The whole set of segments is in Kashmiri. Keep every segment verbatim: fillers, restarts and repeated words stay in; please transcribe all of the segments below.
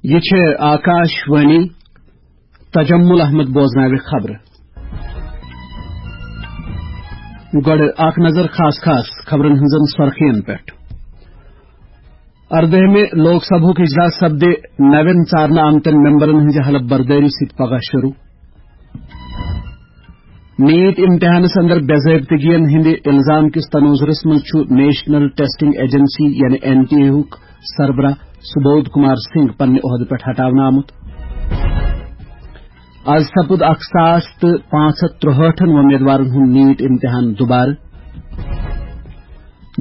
یہِ چھِ آکاش وانی۔ تجمل احمد بوزناوِ خبرٕ۔ گۄڈٕ اکھ نظر خاص خاص خبرن ہٕنٛزن سرخین پٮ۪ٹھ۔ اردٲہمہِ لوک سبھُک اجلاس سپدِ نوٮ۪ن ژارنہٕ آمتٮ۪ن ممبرن ہٕنٛزِ حلف بردٲری سۭتۍ پگاہ شروع۔ نیٹ امتحانس اندر بے ضٲبطگین ہٕنٛدِ الزام کِس تناظرس منٛز چھُ نیشنل ٹیسٹنگ ایجنسی یعنی این ٹی اے ہُک سربراہ سبودھ کمار سنگھ پننہِ عہدٕ پٮ۪ٹھ ہٹاونہٕ آمُت۔ از سپُد اکھ ساس تہٕ پانٛژھ ہتھ ترٛہٲٹھن وۄمیدوارن ہُنٛد نیٹ امتحان دوبارٕ۔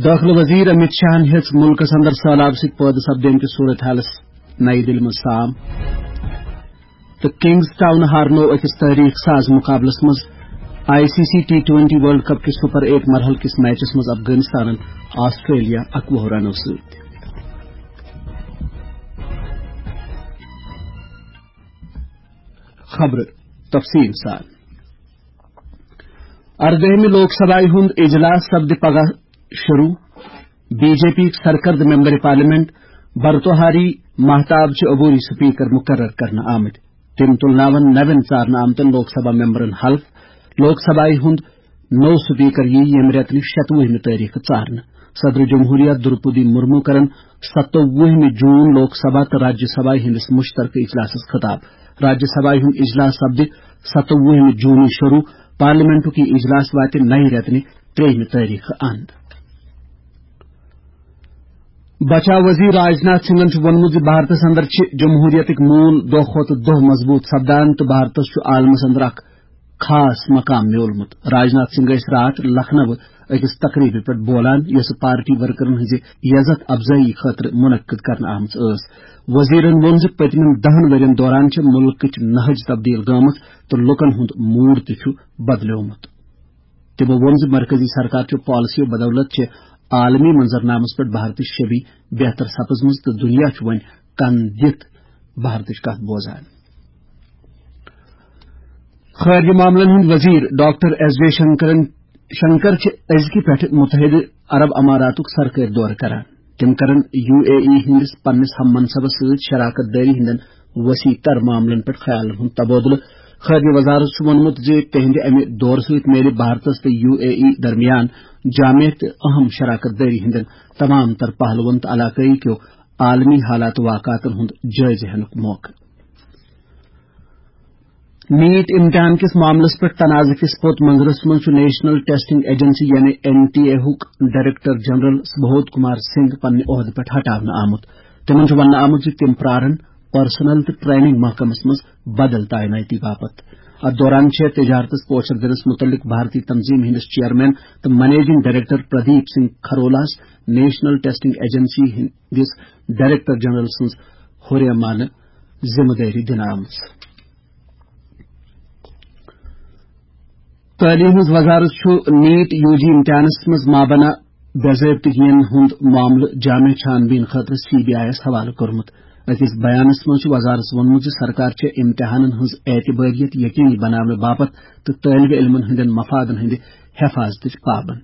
دٲخلہٕ وزیر امیت شاہن ہیٚژ مُلکس اندر سہلاب سۭتۍ پٲدٕ سپدیمتِس صورت حالس نَیہِ دِلہِ منٛز سام۔ تہٕ کنگز ٹاؤن ہارنوو أکِس تٲریخ ساز مقابلس منٛز I C C T twenty world cup کِس سپر ایٹ مرحلہٕ کِس میچس منٛز افغانستانن آسٹریلیا اکوُہ رنو سۭتۍ۔ خبرٕ تفصیٖل سان۔ اردٲہمہِ لوک سبھایہِ ہُنٛد اجلاس سپدِ پگاہ شروع۔ بی جے پی یِکۍ سرکردٕ ممبر پارلیمنٹ برتوہاری مہتاب چھِ عبوری سپیکر مقرر کرنہٕ آمٕتۍ۔ تِم تُلناون نوٮ۪ن ژارنہٕ آمتٮ۪ن لوک سبھا ممبرن حلف۔ لوک سبھایہِ ہُنٛد نوٚو سپیکر یِیہِ ییٚمہِ رٮ۪تہٕ نِش شتوُہمہِ تٲریخہٕ ژارنہٕ۔ صدر جمہوریہ درپدی مرمو کرن ستووُہمہِ جون لوک سبھا تہٕ راجیہ سبھایہِ ہٕنٛدِس مشترکہٕ اجلاسس خطاب۔ راجیہ سبھایہِ ہُنٛد اجلاس سپدِ ستووُہمہِ جونٕے شروع۔ پارلیمنٹُک یہِ اجلاس واتہِ نَیہِ رٮ۪تہٕ نہِ ترٛیٚیِمہِ تٲریخہٕ اند۔ بچاو وزیر راجناتھ سنگھن چھُ ووٚنمُت زِ بھارتس اندر چھِ جمہوریتٕکۍ موٗل دۄہ کھۄتہٕ دۄہ مضبوٗط سپدان تہٕ بھارتس چھُ عالمس اندر اکھ خاص مقام میوٗلمُت۔ راجناتھ سنگھ ٲسۍ راتھ لکھنؤ أکِس تقریبہِ پٮ۪ٹھ بولان، یۄسہٕ پارٹی ورکرن ہٕنٛزِ یزتھ افزٲیی خٲطرٕ منعقد کرنہٕ آمٕژ ٲس۔ وزیرن ووٚن زِ پٔتمٮ۪ن دَہن ؤرین دوران چھِ مُلکٕچ نہج تبدیل گٔمٕژ تہٕ لوٗکن ہُنٛد موڈ تہِ چھُ بدلیومُت۔ تِمو ووٚن زِ مرکزی سرکار چہِ پالیسیو بدولت چھِ عالمی منظرنامس پٮ۪ٹھ بھارتٕچ شبی بہتر سپٕزمٕژ تہٕ دُنیا چھُ وۄنۍ کن دِتھ بھارتٕچ کتھ بوزان۔ خارجہ معاملن ہٕنٛدۍ وزیر ڈاکٹر ایس جے شنکرن، شنکر چھِ أزکہِ پٮ۪ٹھٕ متحدہ عرب اماراتُک سرکٲرۍ دورٕ کران۔ تِم کرن یو اے ای ہٕنٛدِس پننِس ہم منصبس سۭتۍ شراکت دٲری ہٕنٛدٮ۪ن وسیع تر معاملن پٮ۪ٹھ خیالن ہُنٛد تبادلہٕ۔ خارجہ وزارت چھُ ووٚنمُت زِ تِہنٛدِ امہِ دورٕ سۭتۍ میلہِ بھارتس تہٕ یو اے ای درمیان جامع تہٕ اہم شراکت دٲری ہٕنٛدٮ۪ن تمام تر پہلوَن تہٕ علاقٲیی کیو عالمی حالات واقعاتن ہُنٛد جٲیزٕ ہینُک موقعہٕ۔ نیٹ امتحان کِس معاملس پٮ۪ٹھ تنازٕ کِس پوٚت منظرس منٛز چھُ نیشنل ٹیسٹنگ ایجنسی یعنی این ٹی اے ہُک ڈائریکٹر جنرل سبودھ کمار سنگھ پننہِ عہدٕ پٮ۪ٹھ ہٹاونہٕ آمُت۔ تِمن چھُ وننہٕ آمُت زِ تِم پرارن پرسنل تہٕ ٹریننگ محکمس منٛز بدل تعیناتی باپتھ۔ اتھ دوران چھےٚ تجارتس پوچھر دِنس متعلق بھارتی تنظیم ہٕنٛدِس چیئرمین تہٕ منیجنگ ڈائریکٹر پردیپ سنگھ کھرولاہس نیشنل ٹیسٹنگ ایجنسی ہٕنٛدِس ڈائریکٹر جنرل سٕنٛز حریمانہٕ ذمہٕ دٲری دِنہٕ آمٕژ۔ تعلیٖم ہٕنٛز وزارت چھُ نیٹ یو جی امتحانس منٛز مابنا بے ضٲبطگین ہُنٛد معاملہٕ جامع چھان بیٖن خٲطرٕ سی بی آئی یَس حوالہٕ کوٚرمُت۔ أکِس بیانس منٛز چھُ وزارتَس ووٚنمُت زِ سرکار چھےٚ امتحانن ہٕنٛز اعتبٲریت یقینی بناونہٕ باپتھ تہٕ طٲلبہِ علمن ہٕنٛدٮ۪ن مفادن ہٕنٛدِ حفاظتٕچ پابند۔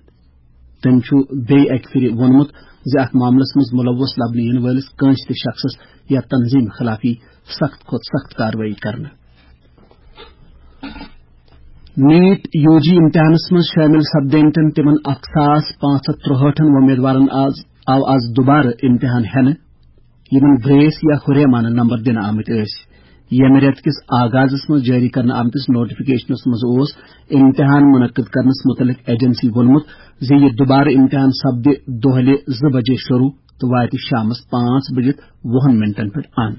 تٔمۍ چھُ بیٚیہِ اَکہِ پھِرِ ووٚنمُت زِ اَتھ معاملَس منٛز مُلوث لَبنہٕ یِنہٕ وٲلِس کٲنٛسہِ تہِ شخصَس یا تنظیٖمہِ خٕلاف یی سخت کھۄتہٕ سخت کاروٲیی کرنہٕ۔ نیٹ یو جی امتحانَس منٛز شٲمِل سپدیمتٮ۪ن تِمَن اکھ ساس پانٛژھ ہَتھ ترٛہٲٹھن وۄمیدوارَن آز، آو آز دُبارٕ امتحان ہٮ۪نہٕ، یِمَن گریس یا ہُریمانہٕ نمبر دِنہٕ آمٕتۍ ٲسۍ۔ ییٚمہِ رٮ۪تہٕ کِس آغازَس منٛز جٲری کرنہٕ آمتِس نوٹیفکیشنَس منٛز اوس امتحان منعقد کرنَس مُتعلِق ایجنسی ووٚنمُت زِ یہِ دُبارٕ امتحان سپدِ دۄہلہِ زٕ بجے شروع تہٕ واتہِ شامَس پانٛژھ بجِتھ وُہَن منٹن پٮ۪ٹھ اند۔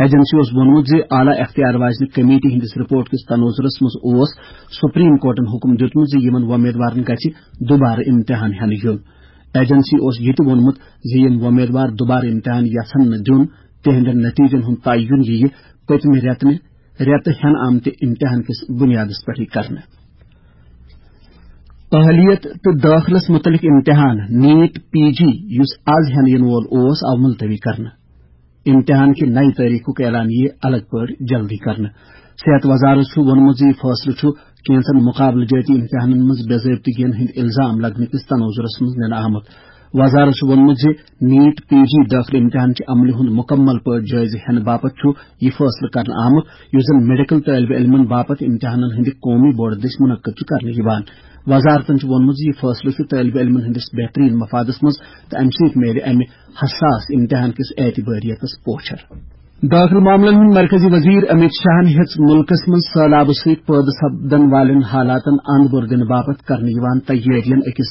ایجنسی اوس ووٚنمُت زِ اعلیٰ اختیار واجنہِ کمیٹی ہٕنٛدِس رپورٹ کِس تناظرَس منٛز اوس سپریم کورٹَن حکم دیُتمُت زِ یِمَن وۄمیدوارَن گژھِ دُبارٕ امتحان ہٮ۪نہٕ یُن۔ ایجنسی اوس یہِ تہِ ووٚنمُت زِ یِم وۄمیدوار دُبارٕ امتحان یژھن نہٕ دیُن، تِہنٛدٮ۪ن نتیجن ہُنٛد تعین یِیہِ پٔتمہِ رٮ۪تہٕ نہِ، رٮ۪تہٕ ہٮ۪نہٕ آمتہِ امتحان کِس بُنیادس پٮ۪ٹھٕے کرنہٕ۔ اہلیت تہٕ دٲخلس مُتعلق امتحان، نیٹ پی جی، یُس آز ہٮ۪نہٕ یِنہٕ وول اوس، آو ملتوی کرنہٕ۔ امتحان کہِ نَیہِ تٲریخُک اعلان یِیہِ الگ پٲٹھۍ جلدی کرنہٕ۔ صحت وزارت چھُ ووٚنمُت زِ یہِ فٲصلہٕ چھُ کینٛژن مقابلہٕ جٲتی امتحانن منٛز بے ضٲبطگین ہٕنٛدۍ الزام لگنہٕ کِس تناظرس منٛز نِنہٕ آمُت۔ وزارت چھُ ووٚنمُت زِ نیٹ پی جی دٲخلہٕ امتحان چہِ عملہِ ہُنٛد مُکمل پٲٹھۍ جٲیزٕ ہٮ۪نہٕ باپتھ چھُ یہِ فٲصلہٕ کرنہٕ آمُت، یُس زن میڈیکل طٲلبہِ علمن باپتھ امتحانن ہٕنٛدِ قومی بورڈ دٔسۍ منعقد چھُ کرنہٕ یِوان۔ وزارتن چھُ ووٚنمُت زِ یہِ فٲصلہٕ چھُ طٲلبہِ علمن ہٕنٛدِس بہتریٖن مفادس منٛز تہٕ امہِ سۭتۍ میلہِ امہِ حساس امتحان کِس اعتبٲریتس پوچھر۔ دٲخلہٕ معاملن ہٕنٛدۍ مرکزی وزیر امت شاہن ہیٚژ مُلکس منٛز سٔہلابہٕ سۭتۍ پٲدٕ سپدن والٮ۪ن حالاتن اند بور دِنہٕ باپتھ کرنہٕ یِوان تیٲرین أکِس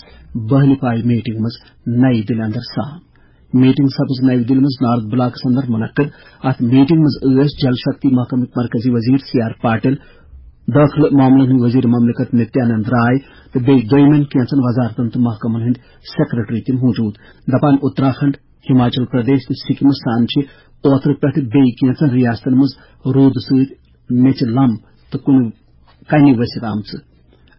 بہلہِ پایہِ میٹنگ منٛز نَیہِ دِلہِ اندر سام۔ میٹنگ سپٕز نَیہِ دِلہِ منٛز نارتھ بلاکس اندر منعقد۔ اتھ میٹنگ منٛز ٲسۍ جل شکتی محکمٕکۍ مرکزی وزیر سی آر پاٹل، دٲخلہٕ معاملن ہٕنٛدۍ وزیر مملکت نتیانند راے تہٕ بیٚیہِ دوٚیمٮ۪ن کینٛژن وزارتن تہٕ محکمن ہٕنٛدۍ سیکرٹری تہِ موجود۔ دپان اتراکھنڈ، ہماچل پردیش تہٕ سکمس سان چھِ اوترٕ پٮ۪ٹھٕ بیٚیہِ کینٛژن ریاستن منٛز روٗدٕ سۭتۍ میٚژِ لم تہٕ کُنہِ کنہِ ؤسِتھ آمژٕ۔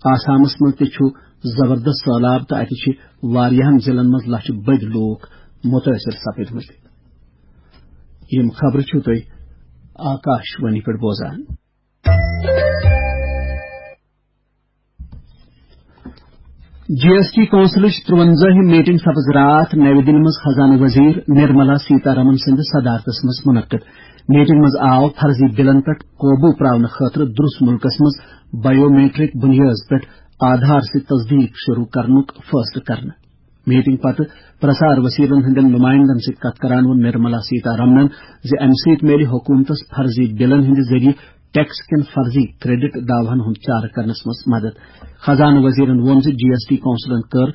آسامس منٛز تہِ چھُ زبردست سٔہلاب تہٕ اتہِ چھِ واریاہن ضلعن منٛز لچھِ بٔدۍ لوٗکھ مُتٲثِر سپٕدمٕتۍ۔ یِم خبرٕ چھِو تُہۍ آکاش وانی پٮ۪ٹھ بوزان۔ جی ایس ٹی کونسلٕچ ترٛوَنزٲہِم میٹنگ سپٕز راتھ نَوِ دِلہِ منٛز خزانہٕ وزیر نرملا سیتارمن سٕنٛدِ صدارتس منٛز منعقد۔ میٹنگ منٛز آو فرضی بلن پٮ۪ٹھ قوبو پراونہٕ خٲطرٕ درس مُلکس منٛز بایومیٹرک بنیٲدس پٮ۪ٹھ آدھار سۭتۍ تصدیق شروع کرنُک فٲصلہٕ کرنہٕ۔ میٹنگ پتہٕ پرسار وسیلن ہٕنٛدٮ۪ن نمائندن سۭتۍ کتھ کران ووٚن نرملا سیتارمنن زِ امہِ سۭتۍ میلہِ حکومتس فرضی بلن ہٕنٛدِ ذٔریعہٕ ٹیکس کٮ۪ن فرضی کریڈٹ دعوہن ہُنٛد چارٕ کرنس منٛز مدد۔ خزانہٕ وزیرن ووٚن زِ جی ایس ٹی کونسلن کٔر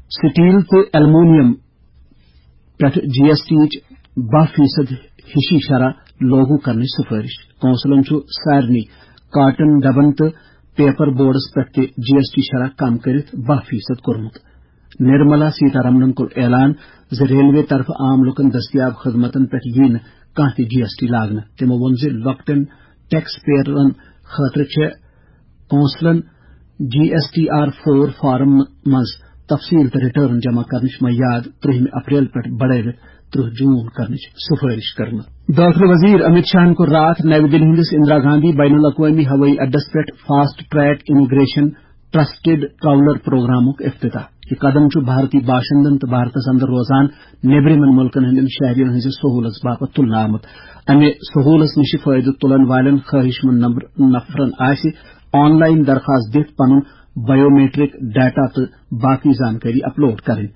سٹیل تہٕ ایلومینیم پٮ۪ٹھ جی ایس ٹی یِچ باہ فیصد ہِشی شرح لاگو کرنٕچ سفٲرش۔ کونسلن چھُ سارنٕے کاٹن ڈبن تہٕ پیپر بورڈس پٮ۪ٹھ تہِ جی ایس ٹی شرح کم کٔرِتھ باہ فیصد کوٚرمُت۔ نرملا سیتارمنن کوٚر اعلان زِ ریلوے طرفہٕ عام لوٗکن دٔستیاب خدمتن پٮ۪ٹھ یِیہِ نہٕ کانٛہہ تہِ جی ایس ٹی لاگنہٕ۔ تِمو ووٚن زِ لۄکٹٮ۪ن ٹیکس پییرن خٲطرٕ چھےٚ کونسلن G S T R four form منٛز تفصیل تہٕ ریٹرن جمع کرنٕچ میعاد ترٛہمہِ اپریل پٮ۪ٹھ بڑٲوِتھ ترٛہ جون کرنٕچ سفٲرش کٔرمٕژ۔ دٲخلہٕ وزیر امت شاہن کوٚر راتھ نَوِ دِلہِ ہٕنٛدِس اندرا گاندھی بین الاقوٲمی ہوٲیی اڈس پٮ۪ٹھ fast track immigration trusted traveller پروگرامُک افتتاح۔ یہِ قدم چھُ بھارتی باشندن تہٕ بھارتس اندر روزان نیبرِمٮ۪ن مُلکن ہٕنٛدٮ۪ن شہرین ہٕنٛزِ سہوٗلژ باپتھ تُلنہٕ آمُت۔ امہِ سہوٗلژ نِش فٲیدٕ تُلن والٮ۪ن خٲہِش مند نمبر-، نفرن آسہِ آن لائن درخواست دِتھ پنُن بایومیٹرک ڈیٹا تہٕ باقی زانکٲری اپلوڈ کرٕنۍ۔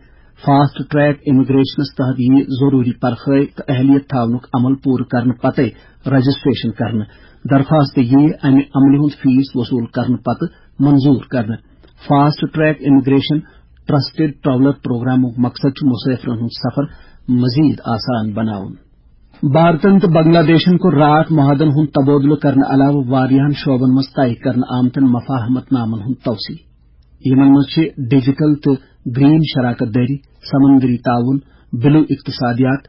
فاسٹ ٹریک امیگریشنس تحت یِیہِ ضروٗری پرخٲے تہٕ اہلیت تھاونُک عمل پوٗرٕ کرنہٕ پتے رجسٹریشن کرنہٕ۔ درخواست یِیہِ امہِ عملہِ ہُنٛد فیس وصوٗل کرنہٕ پتہٕ منظور کرنہٕ۔ Fast track immigration trusted traveller پروگرامُک مقصد چھُ مسافرن ہُنٛد سفر مزید آسان بناوُن۔ بھارتن تہٕ بنگلہ دیشن کوٚر راتھ معاہدن ہُنٛد تبادلہٕ کرنہٕ علاوٕ واریاہن شعبن منٛز طے کرنہٕ آمتٮ۪ن مفاہمت نامن ہُنٛد توسیع۔ یِمن منٛز چھِ ڈیجیٹل تہٕ گرین شراکت دٲری، سمندری تعاون، بلو اقتصادیات،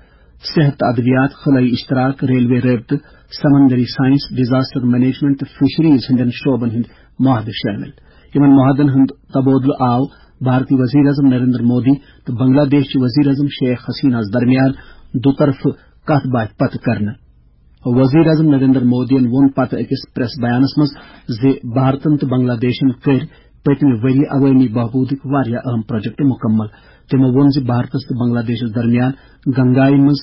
صحت تہٕ ادویات، خلٲیی اشتراک، ریلوے رٲبطہٕ، سمندری سائنس، ڈیزاسٹر مینجمنٹ تہٕ فشریز ہٕنٛدٮ۪ن شعبن ہٕنٛدۍ معاہدٕ شٲمِل۔ یِمن معاہدن ہُنٛد تبادلہٕ آو بھارتی وزیر اعظم نریندر مودی تہٕ بنگلہ دیش چہِ وزیر اعظم شیخ حسینہ ہَس درمیان دُطرفہٕ کتھ باتھ پتہٕ کرنہٕ۔ وزیر اعظم نریندر مودیَن ووٚن پتہٕ أکِس پریس بیانس منٛز زِ بھارتن تہٕ بنگلہ دیشن کٔرۍ پٔتمہِ ؤرۍ یہِ عوٲمی بہبوٗدٕکۍ واریاہ اہم پروجیکٹ مُکمل۔ تِمو ووٚن زِ بھارتس تہٕ بنگلہ دیشس درمیان گنگایہِ منٛز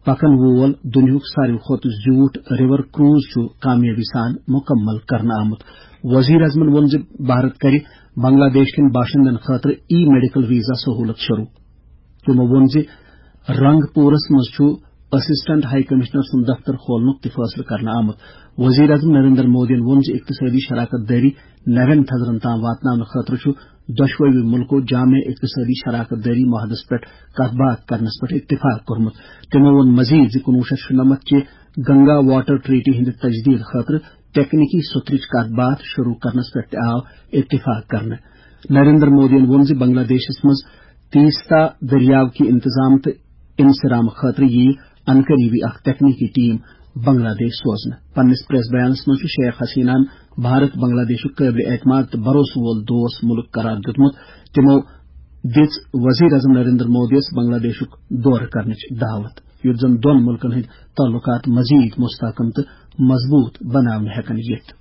پکن وول دُنیاہُک ساروی کھۄتہٕ زیوٗٹھ ریور کروز چھُ کامیٲبی سان مُکمل کرنہٕ آمُت۔ وزیر اعظمن ووٚن زِ بھارت کرِ بنگلہ دیش کٮ۪ن باشندن خٲطرٕ ای میڈیکل ویزا سہوٗلت شروٗع۔ تِمو ووٚن زِ رنگ پورس منٛز چھُ اسسٹنٹ ہائی کمشنر سُنٛد دفتر کھولنُک تہِ فٲصلہٕ کرنہٕ آمُت۔ وزیر اعظم نریندر مودیَن ووٚن زِ اقتصٲدی شراکت دٲری نوٮ۪ن تھزرن تام واتناونہٕ خٲطرٕ چھُ دۄشوٕے مُلکو جامع اقتصٲدی شراکت دٲری معاہدس پٮ۪ٹھ کتھ باتھ کرنس پٮ۪ٹھ اتفاق کوٚرمُت۔ تِمو ووٚن مزید زِ کُنوُہ شیٚتھ شُنَمتھ چہِ گنگا واٹر ٹریٹی ہٕنٛدِ تجدید خٲطرٕ تکنیکی سترٕچ کتھ باتھ شروع کرنس پٮ۪ٹھ تہِ آو اتفاق کرنہٕ۔ نریندر مودیَن ووٚن زِ بنگلہ دیشس منٛز تیستا دٔریاو کہِ انتظام تہٕ انصرام خٲطرٕ یِیہِ انقریبی اکھ تکنیکی ٹیم بنگلہ دیش سوزنہٕ۔ پننِس پریس بیانس منٛز چھُ شیخ حسیناہَن بھارت بنگلہ دیشُک قٲبلِ اعتماد تہٕ بھروسہٕ وول دوست مُلک قرار دیُتمُت۔ تِمو دِژ وزیر اعظم نریندر مودیَس بنگلہ دیشُک دورٕ کرنٕچ دعوت، یُتھ زن دۄن مُلکن ہٕنٛدۍ تعلقات مزید مستحکم تہٕ مضبوط بناونہٕ ہٮ۪کن یِتھ۔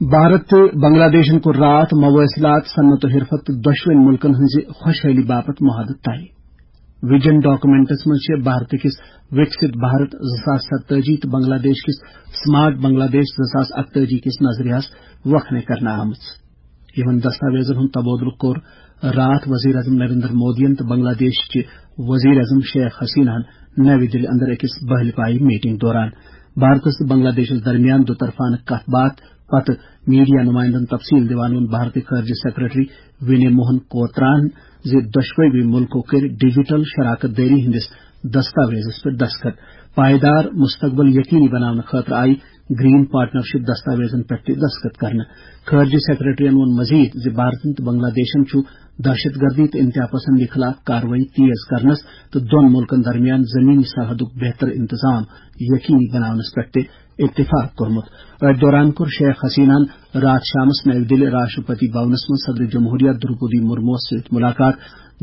بھارت تہٕ بنگلہ دیشن کوٚر راتھ مواصلات، صنعت و حرفت تہٕ دۄشوٕنۍ مُلکن ہٕنٛزِ خۄشحٲلی باپتھ معاہدٕ طے۔ ویژن ڈاکومنٹس منٛز چھِ بھارت کِس وِکسِت بھارت زٕ ساس ستٲجی تہٕ بنگلہ دیش کِس سمارٹ بنگلہ دیش زٕ ساس اکتٲجی کِس نظریہس وۄکھنہٕ کرنہٕ آمٕژ۔ یِمن دستاویزن ہُنٛد تبادلہٕ کوٚر راتھ وزیر اعظم نریندر مودیَن تہٕ بنگلہ دیش چہِ وزیر اعظم شیخ حسیناہن نَوِ دِلہِ اندر أکِس بٔہلہِ پایہِ میٹنگ دوران۔ بھارتس تہٕ بنگلہ دیشس درمیان دُطرفانہٕ کتھ باتھ پتہٕ میڈیا نمائندن تفصیل دِوان ووٚن بھارتی خارجہ سیکرٹری ونے موہن کوتراہن زِ دۄشوٕے مُلکو کٔرۍ ڈیجیٹل شراکت دٲری ہٕنٛدِس دستاویزس پٮ۪ٹھ دستخط۔ پائیدار مستقبل یقینی بناونہٕ خٲطرٕ آیہِ گرین پارٹنرشپ دستاویزن پٮ۪ٹھ تہِ دستخط کرنہٕ۔ خارجہ سیکرٹریَن ووٚن مزید زِ بھارتن تہٕ بنگلہ دیشن چھُ دہشت گردی تہٕ انتہا پسندی خلاف کاروٲیی تیز کرنس تہٕ دۄن مُلکن درمیان زمینی سرحدُک بہتر انتظام یقینی بناونس پٮ۪ٹھ تہِ اتفاق کوٚرمُت۔ أتھۍ دوران کوٚر شیخ حسیناہن راتھ شامس نَوِ دِلہِ راشٹرپتی بھونس منٛز صدر جمہوریہ دروپدی مرموس سۭتۍ مُلاقات۔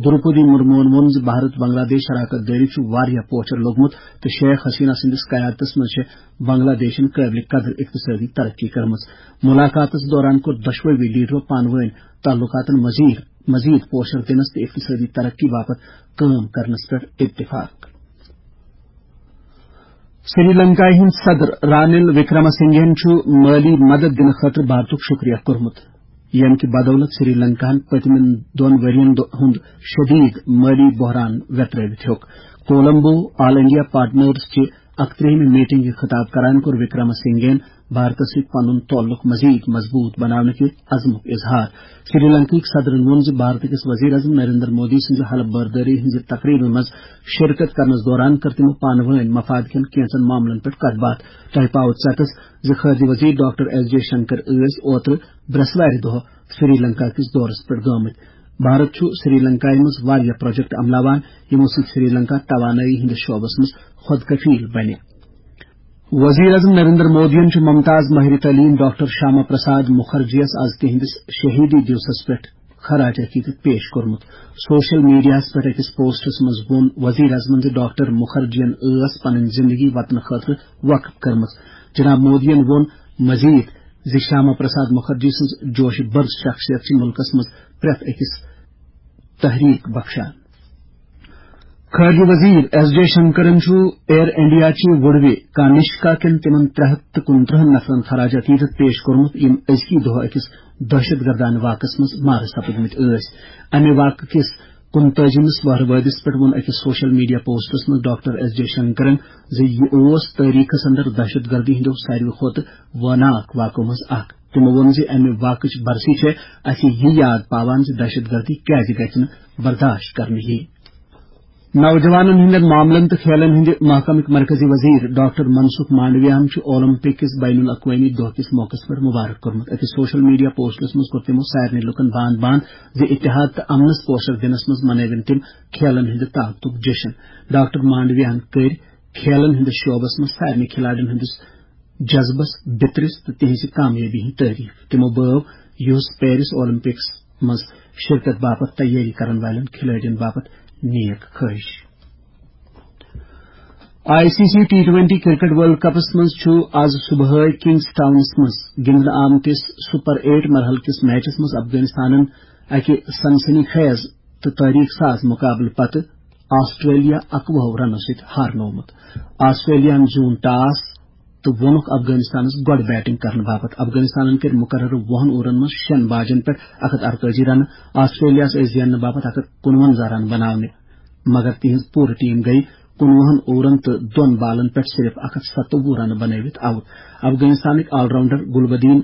دروپدی مرموہن ووٚن زِ بھارت بنگلہ دیش شراکت دٲری چھُ واریاہ پوچھر لوٚگمُت تہٕ شیخ حسینہ سٕنٛدِس قیادتس منٛز چھِ بنگلہ دیشن قٲبلِ قدر اقتصٲدی ترقی کٔرمٕژ۔ مُلاقاتس دوران کوٚر دۄشوٕے لیڈرو پانہٕ وٲنۍ تعلقاتن مزید مزید پوشر دِنس تہٕ اقتصٲدی ترقی باپتھ کٲم کرنس پٮ۪ٹھ اتفاق۔ سری لنکایہِ ہٕنٛدۍ صدر رانِل وکرمہ سنگھن چھُ مٲلی مدد دِنہٕ خٲطرٕ بھارتُک شُکریہ کوٚرمُت، ییٚمہِ کہِ بدولت سری لنکاہن پٔتمٮ۪ن دۄن ؤرین دۄ-، ہُنٛد شدید مٲلی بحران ویترٲوِتھ ہیوٚک۔ کولمبو آل انڈیا پارٹنرز چہِ اکترٛہمہِ میٹنگہِ خطاب کران کوٚر وکرمہ سنگھن بھارتس سۭتۍ پنُن تعلق مزید مضبوط بناونہٕ کہِ عزمُک اظہار۔ سری لنکہٕکۍ صدرن ووٚن زِ بھارت کِس وزیر اعظم نریندر مودی سٕنٛزِ حلف بردٲری ہٕنٛزِ تقریبہِ منٛز شرکت کرنس دوران کٔر تِمو پانہٕ وٲنۍ مفاد کٮ۪ن کینٛژن معاملن پٮ۪ٹھ کتھ باتھ۔ تۄہہِ پاوو ژیتس زِ خارجہ وزیر ڈاکٹر ایس جے شنکر ٲسۍ اوترٕ برٛٮ۪سوارِ دۄہ سری لنکا کِس دورس پٮ۪ٹھ گٲمٕتۍ۔ بھارت چھُ سری لنکایہِ منٛز واریاہ پروجیکٹ عملاوان، یِمو سۭتۍ سری لنکا توانٲیی ہٕنٛدِس شعبس منٛز خۄد کفیل بنہِ۔ وزیر اعظم نریندر مودیَن چھُ ممتاز ماہر تعلیم ڈاکٹر شیاما پرساد مکھرجیَس از تِہنٛدِس شہیدی دیوسس پٮ۪ٹھ خراج عقیدت پیش کوٚرمُت۔ سوشل میڈیاہَس پٮ۪ٹھ أکِس پوسٹس منٛز ووٚن وزیر اعظمن زِ ڈاکٹر مکھرجیَن ٲس پنٕنۍ زندگی وطنہٕ خٲطرٕ وقف کٔرمٕژ۔ جناب مودیَن ووٚن مزید زِ شیاما پرساد مکھرجی سٕنٛز جوش برس شخصیت چھِ مُلکس منٛز پرٛٮ۪تھ أکِس تحریک بخشان۔ خارجہ وزیر ایس جے شنکرن چھُ ایئر انڈیا چہِ وُڑوِ کانشکا کٮ۪ن تِمن ترٛےٚ ہتھ تہٕ کُنترٕہن نفرن خراج عقیدت پیش کوٚرمُت، یِم أزکی دۄہ أکِس دہشت گردانہ واقعس منٛز مارٕ سپٕدمٕتۍ ٲسۍ۔ امہِ واقعہٕ کِس کُنتٲجِمِس وہروٲدِس پٮ۪ٹھ ووٚن أکِس سوشل میڈیا پوسٹس منٛز ڈاکٹر ایس جے شنکرن زِ یہِ اوس تٲریخس اندر دہشت گردی ہٕنٛدیو ساروی کھۄتہٕ وٲناکھ واقعو منٛز اکھ۔ تِمو ووٚن زِ امہِ واقعٕچ برسی چھےٚ اسہِ یہِ یاد پاوان زِ دہشت گردی کیازِ گژھِ نہٕ برداشت کرنہٕ یِنۍ۔ نوجوانن ہٕنٛدٮ۪ن معاملن تہٕ کھیلن ہٕنٛدِ محکمٕکۍ مرکزی وزیر ڈاکٹر منسکھ مانڈویاہن چھُ اولمپک کِس بین الاقوٲمی دۄہ کِس موقعس پٮ۪ٹھ مبارک کوٚرمُت۔ أکِس سوشل میڈیا پوسٹس منٛز کوٚر تِمو سارنٕے لُکن باند باند زِ اتحاد تہٕ امنس پوشر دِنس منٛز منٲوِن تِم کھیلن ہٕنٛدِ طاقتُک جشن۔ ڈاکٹر مانڈویاہن کٔرۍ کھیلن ہٕنٛدِس شعبس منٛز سارنٕے کھلاڑٮ۪ن ہٕنٛدِس جذبس بِترِس تہٕ تِہنٛزِ کامیٲبی ہٕنٛز تعریف۔ تِمو بٲو یُہُس پیرس اولمپکس منٛز شرکت باپتھ تیٲری کرن والٮ۪ن کھلٲڑٮ۪ن باپتھ نیک خٲہِش۔ I C C T twenty cricket world کپس منٛز چھُ آز صبحٲے کنگز ٹاؤنس منٛز گِنٛدنہٕ آمتِس سپر ایٹ مرحلہٕ کِس میچس منٛز افغانستانن اکہِ سنسنی خیز تہٕ تٲریخ ساز مقابلہٕ پتہٕ آسٹریلیا اکوُہ رنو سۭتۍ ہارنوومُت۔ آسٹریلیاہن زیوٗن ٹاس تہٕ ووٚنُکھ افغانستانس گۄڈٕ بیٹنگ کرنہٕ باپتھ۔ افغانستانن کٔرۍ مقررٕ وُہن اوورن منٛز شٮ۪ن باجن پٮ۪ٹھ اکھ ہتھ ارتٲجی رنہٕ۔ آسٹریلیاہس ٲسۍ زیننہٕ باپتھ اکھ ہتھ کُنوَنزاہ رن بناونہِ، مگر تِہنٛز پوٗرٕ ٹیم گٔیہِ کُنوُہن اوورن تہٕ دۄن بالن پٮ۪ٹھ صرف اکھ ہتھ ستووُہ رنہٕ بنٲوِتھ آؤٹ۔ افغانستانٕکۍ آل راؤنڈر گلبدین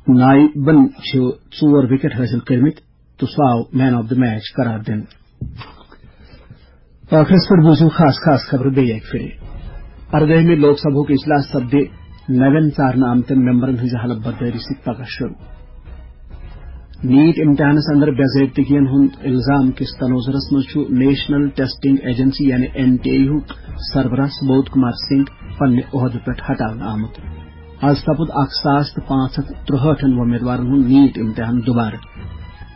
نائبن چھِ ژور وکٹ حٲصِل کٔرمٕتۍ تہٕ سُہ آو مین آف دی میچ قرار دِنہٕ۔ ٲخرس پٮ۪ٹھ بوٗزِو خاص خاص خبرٕ بیٚیہِ اَکہِ پھِرِ۔ اردٲہمہِ لوک سبھُک اجلاس سپدِ نوٮ۪ن ژارنہٕ آمتٮ۪ن ممبرن ہٕنٛزِ حلف بردٲری سۭتۍ پگاہ شروع۔ نیٹ امتحانس اندر بے ضٲبطگین ہُنٛد الزام کِس تناظرس منٛز چھُ نیشنل ٹیسٹنگ ایجنسی یعنی این ٹی اے ہُک سربراہ سبود کمار سنگھ پننہِ عہدٕ پٮ۪ٹھ ہٹاونہٕ آمُت۔ از سپُد اکھ ساس تہٕ پانٛژھ ہتھ ترُہٲٹھن وۄمیدوارن ہُنٛد نیٹ امتحان دوبارٕ۔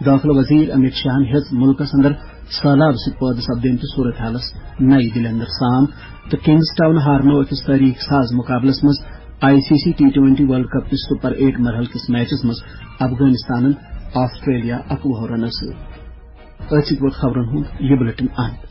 دٲخلہٕ وزیر امت شاہن ہیٚژ مُلکس اندر سہلاب سۭتۍ پٲدٕ سپدیمتِس صورت حالس نَیہِ دِلہِ اندر سام تہٕ کنگز ٹاؤن ہارنو أکِس تٲریخ ساز مقابلس منٛز I C C T twenty world cup کِس سپر ایٹ مرحلہٕ کِس میچس منٛز افغانستانن آسٹریلیا اکوُہ رنو سۭتۍ۔ أتھۍ سۭتۍ ووت خبرن ہُنٛد یہِ بلیٹن اند۔